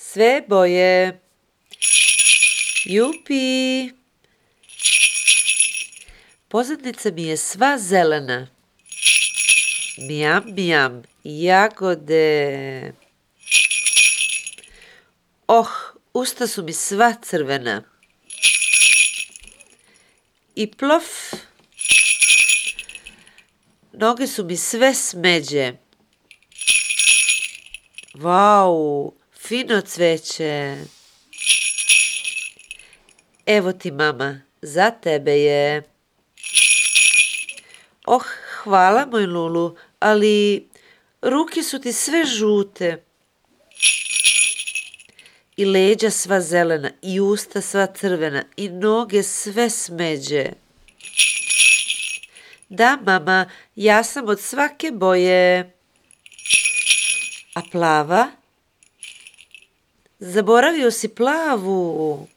Sve boje. Jupi. Pozadnica mi je sva zelena. Mijam, mijam, jagode. Usta su mi sva crvena. I plof. Noge su mi sve smeđe. Vau, fino cveće. Evo ti, mama, za tebe je. Hvala, moj Lulu, ali ruke su ti sve žute. I leđa sva zelena, i usta sva crvena, i noge sve smeđe. Da, mama, ja sam od svake boje. A plava? Zaboravio si plavu.